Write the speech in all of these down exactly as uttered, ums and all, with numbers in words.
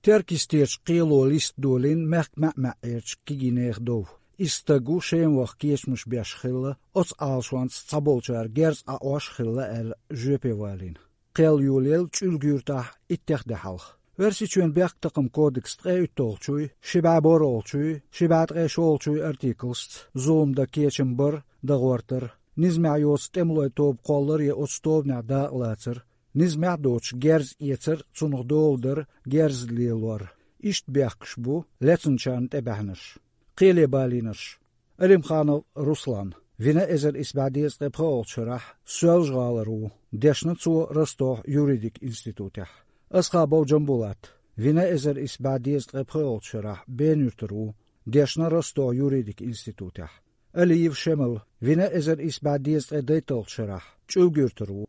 Теркйистерчу кхело листа долийна мехкан маьӀ-маьӀӀерчу кегийнехан дов. Иза стаг ву Шема ваха кечамаш беш хилла, оцу Ӏалашонца цхьаболчара герз Ӏаоьхуш хилла аьлла жоьпе валийна. Кхел йолаелла Чуьлга юьртахь иттех де хьалха. Оьрсийчоьнан бехктакхаман кодексан ткъе уьтталгӀачуй, ши бӀе борхӀалгӀачуй, ши бӀе ткъе шолгӀачуй артиклашца зулам дан кечам бар, дан гӀортар, низамехь йоцу тӀемалойн тоба кхоллар я оцу тобанехь дакъалацар, низамехь а доцуш герз эцар, цунах дола дар, герз лелор. Иштта бехкаш бу лецначарна тӀебаьхьнарш. Кхеле балийнарш. Алимханов Руслан, вина эзар исс бӀе дезткъе пхоьалгӀачу шарахь, Соьлжа-ГӀалара ву, дешна цо Ростовхь юридик институтехь. Асхабов Джамбулат, вина эзар исс бӀе дезткъе пхоьалгӀачу шарахь, Бена-Юьртара ву, дешна Ростовхь юридик институтехь. Алиев Шемал, вина эзар исс бӀе дезткъе дейтталгӀачу шарахь, Чуьлга-Юьртара ву.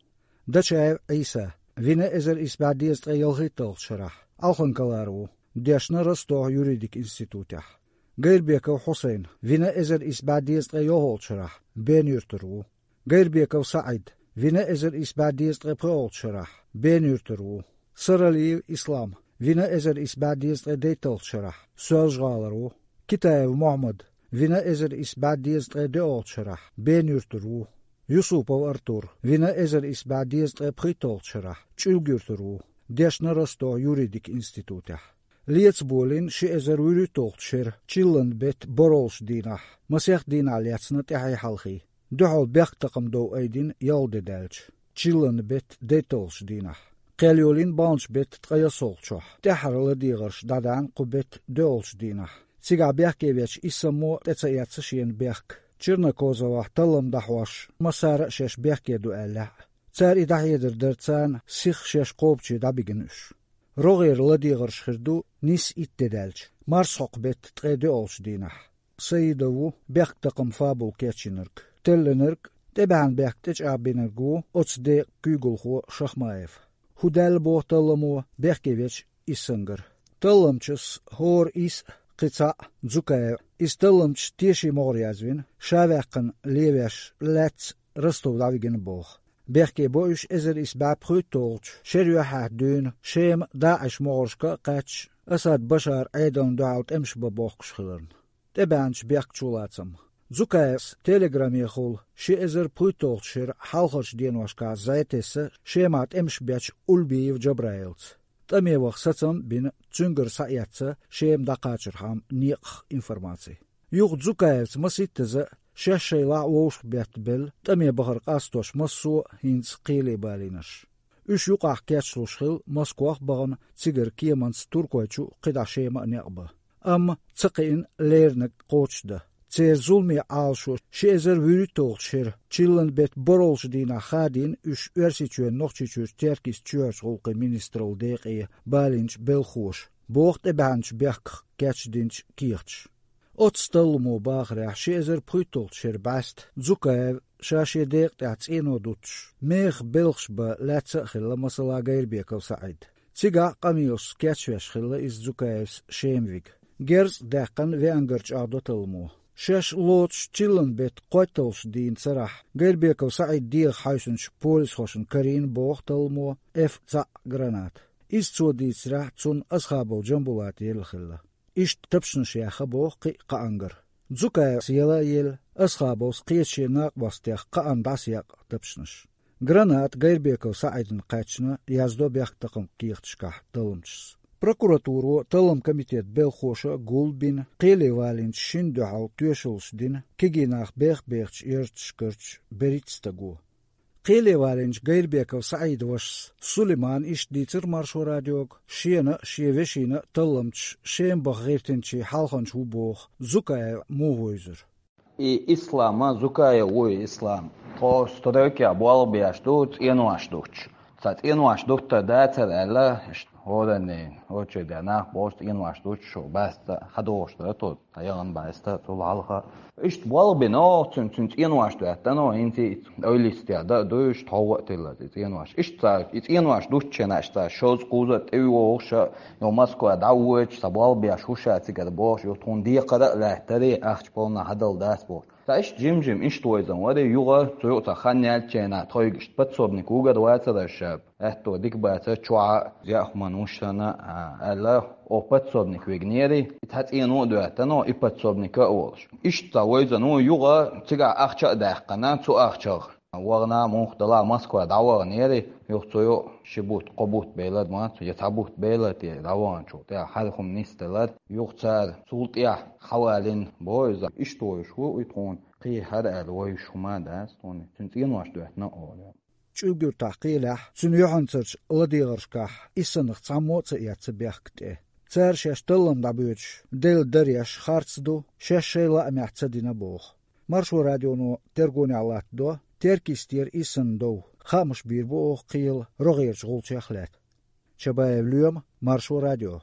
Дачаев Ӏийса, вина эзар исс бӀе дезткъе ялхитталгӀачу шарахь, Алхан-Калара ву, дешна Ростовхь юридик институтехь. Гайрбеков Хьусайн, вина эзар исс бӀе дезткъе йолхалгӀачу шарахь, Бена-Юьртара ву. Гайрбеков СаӀид, вина эзар исс бӀе дезткъе пхоьалгӀачу шарахь, Бена-Юьртара ву. Саралиев Ислам, вина эзар исс бӀе дезткъе дейтталгӀачу шарахь, Соьлжа-ГӀалара ву. Китаев Мохьмад, вина эзар исс бӀе дезткъе доьалгӀачу шарахь, Бена-Юьртара ву. Юсупов Артур, вина эзар исс бӀе дезткъе пхийтталгӀачу шарахь, Чуьлга-Юьртара ву, дешна Ростовхь юридик институтехь. Леца болийна ши эзар вуьрхӀитталгӀачу шеран чиллан беттан борхӀалгӀачу дийнахь, масех дийнахь лаьцна тӀаьхьий-хьалхий. Дуьхьал бехктакхаман дов айдина ялх де даьлча. Чиллан беттан дейтталгӀачу дийнахь. Кхел йолийна баханчу беттан ткъе ялхалгӀачохь, тӀаьххьара ладегӀарш дӀадаьхьна кху беттан доьалгӀачу дийнахь. Цигахь бехке вечу исс саммо тӀе ца эцна шена бехк. Чернокозовахь таллам дӀахьош, массара а шаьш бехке ду аьллехь а. Цара и дӀахьедар дара царна, сиха шаьш кхобуче дӀабигина уьш. РогӀера ладегӀарш хир ду нийсса итт де даьлча, марсхьокху беттан ткъе доьалгӀачу дийнахь. Саидов ву бехктакхаман фабула кечйинарг, теллинарг, тӀебаьхьна бехк тӀечӀагӀбинарг ву оцу декъан куьйгалхо Шахмаев. ХӀу даьлла боху талламо бехке вечу иссангара. Талламчас хӀора исс а, кхин цхьаъ а Дзукаев. Иза талламчаш теший могӀаре язвина, ша ваьккхина левеш лаьцна Ростов дӀавигина боху. Бехке бо уьш эзар исс бӀе пхийтталгӀачу шеран юьххьехь дуьйна, Шема ДАИШ могӀаршка а кхаьчча, Асад Башаран Ӏедална дуьхьал тӀемаш бан бохкуш хиларна. ТӀебаьхьначу бехкан чулацам. Дзукаевс телеграмехула ши эзар пхийтталгӀачу шеран хьалхарчу деношкахь зӀе тесна Шемахь тӀемаш бечу Ульбиев Джабраилца. ТӀаме ваха сацам а бина, цуьнгара схьаэцна Шема дӀакхачархьама некъах информаци. Юха Дзукаевца маситтаза а, шаьш шайлахь а вовшахбеттабелла, тӀаме бахар къастош массо а хӀинца кхеле балийнарш. Уьш юкъахь кечлуш хилла Москох а бахана, цигара кеманца Туркойчу а, кхидӀа Шема а некъ бан. Амма ца кхиъна леринарг кхочушдан. Церан зуламе Ӏалашо ши эзар вуьрхӀитталгӀачу шеран чиллан беттан борхӀалгӀачу дийнахь хадийна уьш Оьрсийчоьнан Нохчийчуьрчу Теркйист-чоьхьарчу гӀуллакхийн министраллин декъе балийначу белхахоша, боху тӀебаьхьначу бехках кечдинчу кехаташа. Оццу талламо бахарехь, ши эзар пхийтталгӀачу шеран бӀаьста Дзукаев ша шен декъа тӀехь цӀено дуттуш, мехах белхаш бан лаьцна а хилла, масала, Гайрбеков СаӀид. Цигахь а къамелашца кечвеш хилла иза Дзукаевс Шема вига. Герз а даьккхина веангара чӀагӀдо талламо. Шаьш лоцуш чиллан беттан кхойтталгӀачу дийнан царахь Гайрбеков СаӀидан дегӀах хьаьвсинчу полисхошна карийна, боху талламо, эф цхьаъ граната. Иза, цо дийцарехь, цунна Асхабов Джамбулата елла хилла. Иштта тапчанаш яьхна боху кхин а кхаангара. Дзукаевс яла а елла, Асхабовс кхечу шен накъостех кхаанна дӀасаекъна тапчанаш. Граната Гайрбеков СаӀидана кхаьчна, яздо бехктакхаман кехаташкахь талламчаша. Прокуратуро, талламан комитетан белхахоша а гулбина, кхеле валийначу шина дуьхьал тоьшаллаш дина кегий нах бех-бехачу ярташкарчу берхӀитта стага. Кхеле валийначу Гайрбеков СаӀидан вашас Сулеймана иштта дийцира Маршо радиога, шена а, шен вешина а талламчаш Шема баха гӀиртинчийн хьалханча ву боху Дзукаев муха вевзира. И Ислам а, Дзукаев ву и Ислам. Тхо стройкехь болх беш ду, цӀенош дуттуш. Цхьа цӀенош дуттар дацара аьлла, иштта хӀораннийн очередехь нах болуш цӀенош дуттуш, шо баста хьадогӀуш дара тхо. Цхьа яхана бӀаьста цул хьалха. Иштта болх бина оха цуьнан, цуьнан цӀенош доьттина оха, хӀинца а ойла йистехь дан а ду, иштта хьовха а тиллаза и цӀенош. Иштта цара и цӀенош дуттучу хенахь, иштта цара шозза-кхузза а тӀе а вогӀуш а, юха Москва дӀа а воьдуш, цхьа болх беш ву ша цигара бохуш, юха тхуна декхар а лаьттара, ахча полна хьадала дац бохуш. Цхьа иштта жим-жима иштта вевзаш вара, юха цу юкъа цхьа хан яьллачу хенахь тхоьга иштта подсобник вуьгур вацара ша. Аьтто дика баца чуа яхман ушана аьлла, о подсобник вегнери, цхьа цӀено а доьттано, и подсобника а волуш. Иштта вайзано югӀа цигахь ахча а даьккхина, цу ахчах вахана муха дала Москва дӀаваханери, юха цо йо ши бутт, кхо бутт белад ма цо, я цхьа бутт белад те дӀаваханчул тӀаьхьа хьархум нисделар, юха цара цул тӀаьхьа хьавалин бо иза. Иштта вайш ву и тхуна кхин хӀара аьлла вайш хӀума дац тхуна, цуьнан цӀенош доьттина олу. ЧӀугуртахь кхелехь, цуьнан юьхьанцарчу ладегӀаршкахь иссанах цхьаммо а ца эцна бехк тӀе. Цара шаьш таллам дӀабоьдуш, делла дареш харц ду, шаьш шайн лаамехь ца дина боху. Маршо радионо тергонехь латтадо Теркйистера иссанан дов, хаамаш бийр бу оха кхелан рогӀерчу гӀулчех лаьцна. Чабаев Лоьма, Маршо радио.